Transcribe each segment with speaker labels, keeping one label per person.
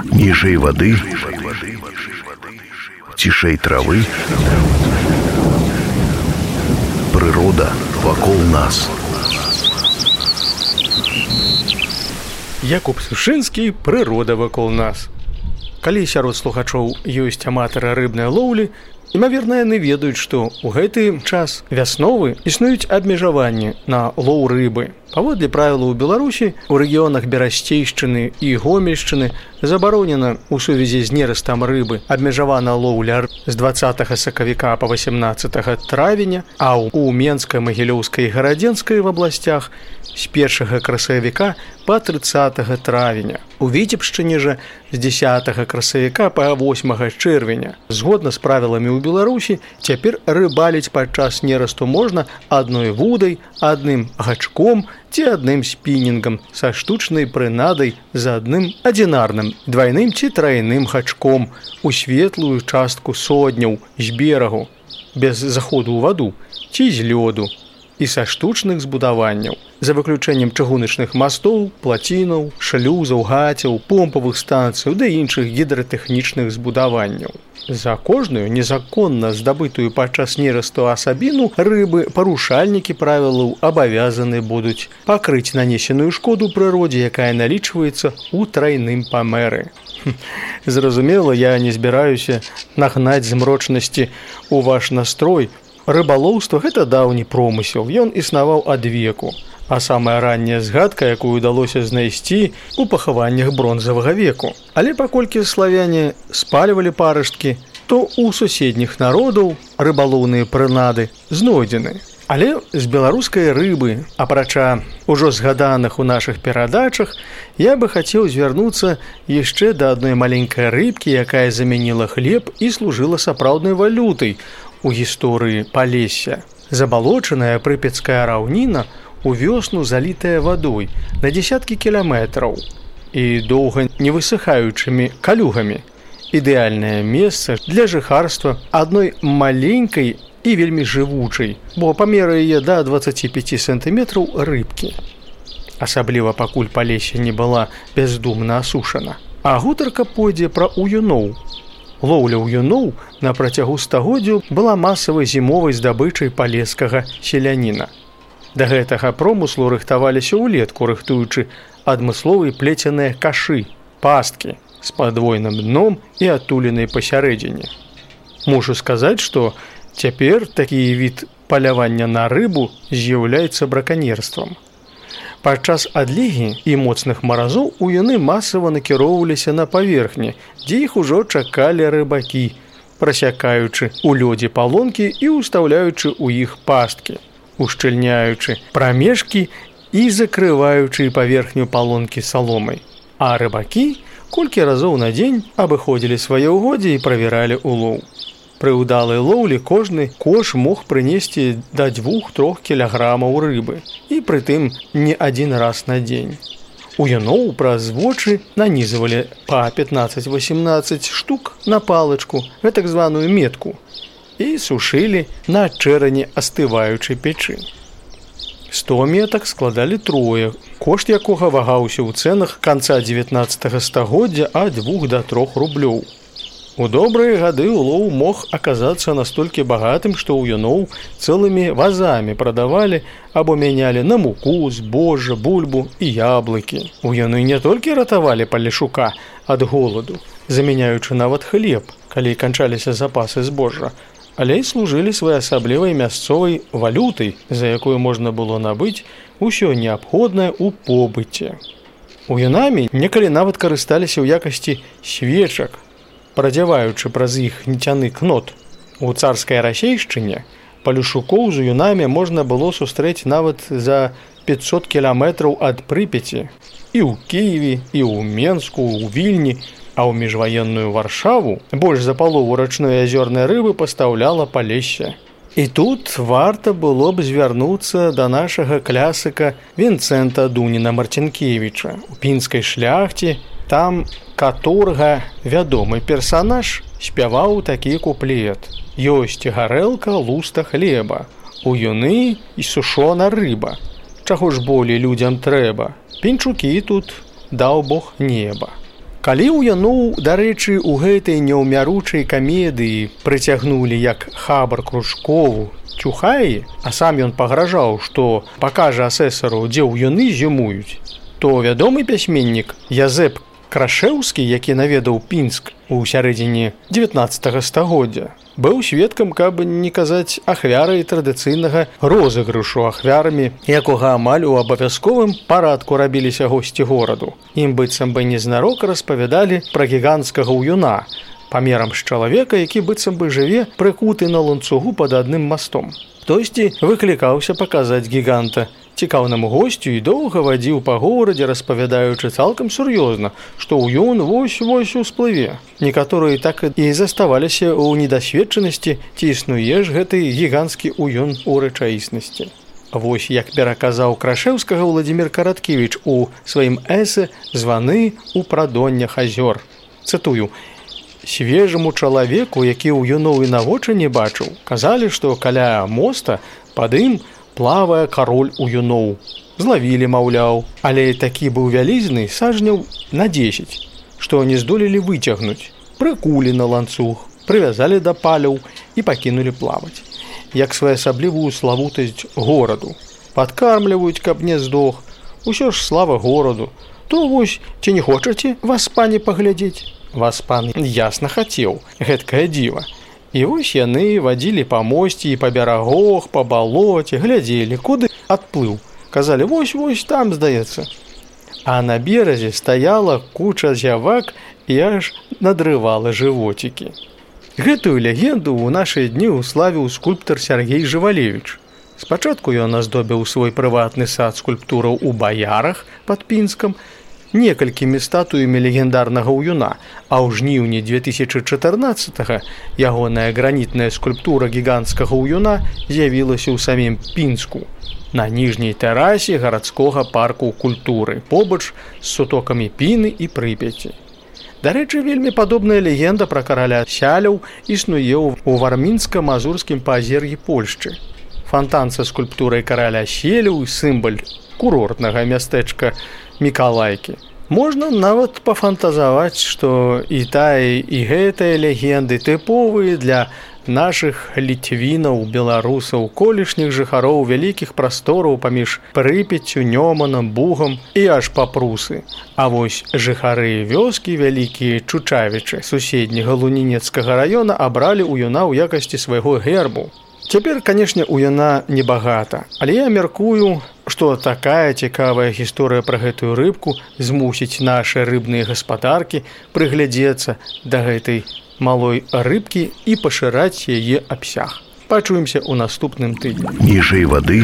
Speaker 1: Ніжэй вады, цішэй травы, прырода вакол нас.
Speaker 2: Якуб Сушынскі, прырода вакол нас. Калі сярод слухачоў ёсць аматары рыбнай лоўлі, імаверна, яны ведаюць, што ў гэты час вясновы існуюць абмежаванні на лоў рыбы. Паводле правілаў у Беларусі, у рэгіёнах Берасцейшчыны і Гомельшчыны забаронена ў сувязі з нерастам рыбы абмежавана лоўля з 20 сакавіка па 18 травеня, а ў Менскай, Магілёўскай і Гарадзенскай абласцях з 1 красавіка па 30 травеня. У Віцебшчыне жа з 10 красавіка па 8 чэрвеня. Згодна з правіламі ў Беларусі, цяпер рыбаліць падчас нерасту можна адной вудай, адным гачком ці адным спінінгам са штучнай прынадай з адным адзінарным, двайным ці трайным гачком у светлую частку содняў з берагу, без заходу ў ваду ці з лёду, і са штучных збудаванняў, за выключэннем чыгуначных мастоў, плацінаў, шлюзаў, гацяў, помпавых станцыяў ды іншых гідратэхнічных збудаванняў. За кожную незаконна здабытую падчас нерасту асабіну рыбы парушальнікі правілаў абавязаны будуць пакрыць нанесеную шкоду прыродзе, якая налічваецца ў трайным памеры. Зразумела, я не збіраюся нагнаць змрочнасці ў ваш настрой. Рыбалоўства – гэта даўні промысел, ён існаваў ад веку. А самая ранняя згадка, якую ўдалося знайсці у пахаваннях бронзавага веку. Але паколькі славяне спальвалі парасткі, то ў суседніх народаў рыбалоўныя прынады знойдзены. Але з беларускай рыбы, апрача ўжо згаданых у нашых перадачах, я бы хацеў звярнуцца яшчэ да адной маленькай рыбкі, якая замяніла хлеб і служыла сапраўднай валютай у гісторыі Палесся. Забалочаная прыпецкая раўніна у вёсну залітая вадой на дзесяткі кіламетраў і доўга не высыхаючымі калюгамі. Ідэальнае месца для жыхарства адной маленькай і вельмі жывучай, бо памеры яе да 25 сантыметраў рыбкі. Асабліва пакуль Палесся не была бяздумна асушана. А гутарка пойдзе пра уюноў. Лоўля ўюноў на працягу стагоддзяў была масавай зімовай здабычай палескага селяніна. Да гэтага промыслу рыхтаваліся ўлетку, рыхтуючы адмысловыя плеценыя кашы, пасткі з падвойным дном і адтулінай пасярэдзіне. Мушу сказаць, што цяпер такі від палявання на рыбу з'яўляецца браканьерствам. Падчас адлігі і моцных маразоў уюны масава накіроўваліся на паверхні, дзе іх ужо чакалі рыбакі, прасякаючы ў лёдзе палонкі і ўстаўляючы ў іх пасткі, ушчыльняючы прамежкі і закрываючы паверхню палонкі саломай. А рыбакі колькі разоў на дзень абыходзілі свае ўгоддзі і правяралі улоў. Пры ўдалай лоўлі кожны кош мог прынесці да 2-3 кілаграмаў рыбы, і прытым не адзін раз на дзень. Уюноў праз вочы нанізывалі па 15-18 штук на палачку, гэтак званую метку, і сушылі на чэрані астываючай печы. 100 метак складалі трое, кошт якога вагаўся ў цэнах канца 19 стагоддзя ад 2 до 3 рублёў. У добрыя гады улоў мог аказацца настолькі багатым, што уюноў цэлымі вазамі прадавалі або мянялі на муку, збожжа, бульбу і яблыкі. Уюны не толькі ратавалі палешука ад голаду, замяняючы нават хлеб, калі канчаліся запасы збожжа, але і служылі своеасаблівай мясцовай валютай, за якую можна было набыць усё неабходнае ў побыце. Уюнамі некалі нават карысталіся ў якасці свечак, прадзяваючы праз іх ніцяны кнот. У царскай расейшчыне палешукоў з уюнамі можна было сустрэць нават за 500 кіламетраў ад Прыпяці. І ў Кіеве, і ў Менску, у Вільні, а ў міжваенную Варшаву больш за палову рачной азёрнай рыбы пастаўляла Палесся. І тут варта было б звярнуцца да нашага клясыка Вінцэнта Дуніна-Марцінкевіча. У пінскай шляхце там каторга, вядомы персанаж, спяваў такі куплет: «Ёсць гарэлка, луста хлеба, уюны і сушона рыба. Чаго ж болей людзям трэба? Пінчукі тут даў Бог неба». Калі ў Яноў, дарэчы, у гэтай няўмяручай камедыі прыцягнулі як хабар Кружкову Чухаі, а сам ён пагражаў, што пакажа асэсару, дзе ў юны зімуюць, то вядомы пісьменнік Язэп Крашэўскі, які наведаў Пінск у сярэдзіне 19 стагоддзя, быў сведкам, каб не казаць ахвярай традыцыйнага розыгрышу, ахвярамі якога амаль у абавязковым парадку рабіліся госці гораду. Ім быццам бы незнарок распавядалі пра гіганцкага ўюна, памерам з чалавека, які быццам бы жыве прыкуты на ланцугу пад адным мастом. Хтосьці выклікаўся паказаць гіганта цікаўнаму госцю і доўга вадзіў па горадзе, распавядаючы цалкам сур'ёзна, што ўюн вось-вось усплыве. Некаторыя так і заставаліся ў недасведчанасці, ці існуе ж гэты гіганцкі ўюн у рэчаіснасці. Вось як пераказаў Крашэўскага Владзімір Караткевіч у сваім эсэ «Званы ў прадоннях азёр». Цытую: «Свежаму чалавеку, які ў юноў і на вочы не бачыў, казалі, што каля моста пад ім плавае кароль уюноў. Злавілі, маўляў, але такі быў вялізны сажняў на 10, што не здолелі выцягнуць. Прыкулі на ланцуг, прывязалі да паляў і пакінулі плаваць. Як своеасаблівую славутасць гораду. Падкармліваюць, каб не здох. Усё ж слава гораду. То вось, ці не хочаце вас, пане, паглядзець? Вас, пан, ясна хацеў, гэткае дзіва. І вось яны вадзілі па мосці і па берагах, па балоце, глядзелі, куды адплыў. Казалі, вось-вось там, здаецца. А на беразе стаяла куча зявак і аж надрывала жывоцікі. Гэтую легенду ў нашыя дні уславіў скульптар Сергей Жывалевіч. Спачатку ён аздобіў свой прыватны сад скульптураў у Баярах пад Пінскам, некалькімі статуямі легендарнага ўюна, а ў жніўні 2014-го ягоная гранітная скульптура гіганцкага ўюна з'явілася ў самім Пінску, на ніжняй тэрасе гарадскога парку культуры, побач з сутокамі Піны і Прыпяці. Дарэчы, вельмі падобная легенда пра караля Сяляў існуе ў вармінска-мазурскім паазер'і Польшчы. Фантан са скульптурай караля Селяў, сімвал курортнага мястэчка Мікалайкі. Можна нават пафантазаваць, што і тая, і гэтая легенды тыповыя для нашых літвінаў, беларусаў, колішніх жыхароў вялікіх прастораў паміж Прыпяццю, Нёманам, Бугам і аж па Прусы. А вось жыхары вёскі вялікія Чучавічы суседняга Лунінецкага раёна абралі ўюна ў якасці свайго гербу. Цяпер, канешне, уюна небагата, але я мяркую, што такая цікавая гісторыя пра гэтую рыбку змусіць нашы рыбныя гаспадаркі прыглядзецца да гэтай малой рыбкі і пашыраць яе абсяг. Пачуемся ў наступным тыдні.
Speaker 1: Ніжэй вады,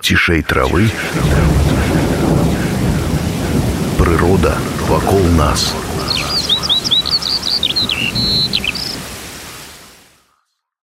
Speaker 1: цішэй травы, прырода вакол нас.